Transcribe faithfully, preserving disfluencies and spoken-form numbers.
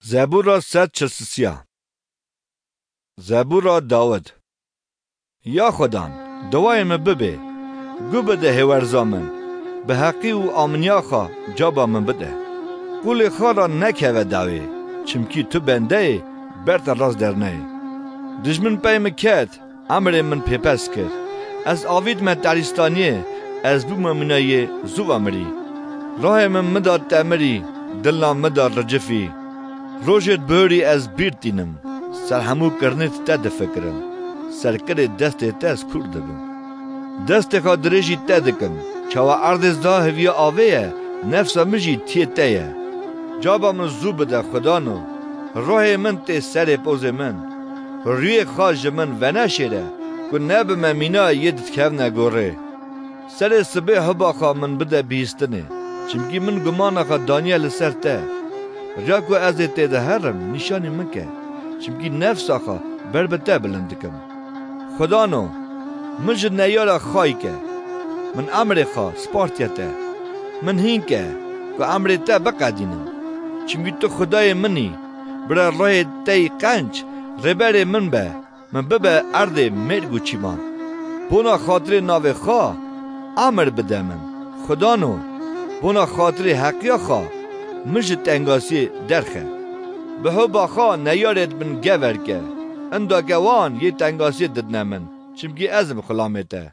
Zebûra sed çil sisiya. Zebûra Dawid. Ya Xudan, dawayê min bibê, gu bide hêwerza min, bi heqî û aminiya xwe caba min bide. Qûlê xwe re nekeve dawê, çimkî tu bendeyê ber te rast derneyê. Dijmin pey min ket, emrê min pêpes kir. Ez avîtme terîstaniyê, ez bûme mîna yê zû ve mirî. Rohê min min da temirî, dilna min da ricifî. Rojêt bihurî ez bîr tînim, ser hemû kirinê te difikirim. Serkirê destê te ez kûr dibim. Destê xwe dirêjî te dikim, çawa erdê zda hiviya avê ye, nefsa min jî tiyê te ye. Caba min zû bide Xwedano, rohê min tê serê pozê min. Rûyê xwe ji min veneşêre, ku nebime mîna yê didikevne gorê. Serê sibê hiba xwe min bide bihîstinê, çimkî min gumana xwe daniye li ser te. Riya ku ez ê tê de herim, nîşanî min ke, çimkî nefsa xwe ber bi te bilind dikim. Xwedano, min ji neyara xayî ke, min emrê xwe spartiye te. Min hîn ke, ku emrê te biqedînim. Çimkî tu Xwedayê min î, bira rihê te yî qenc, rêberê min be, min bibe erdê mêrg û çîman. Bona xatirê navê xwe, emir bide min. Xwedano, bona xatirê heqiya xwe, min ji tengasiyê derxe. Bi hiba xwe neyarêt min gever ke, inda ke wan yê tengasiyê didine min, çimkî ez im xulamê te.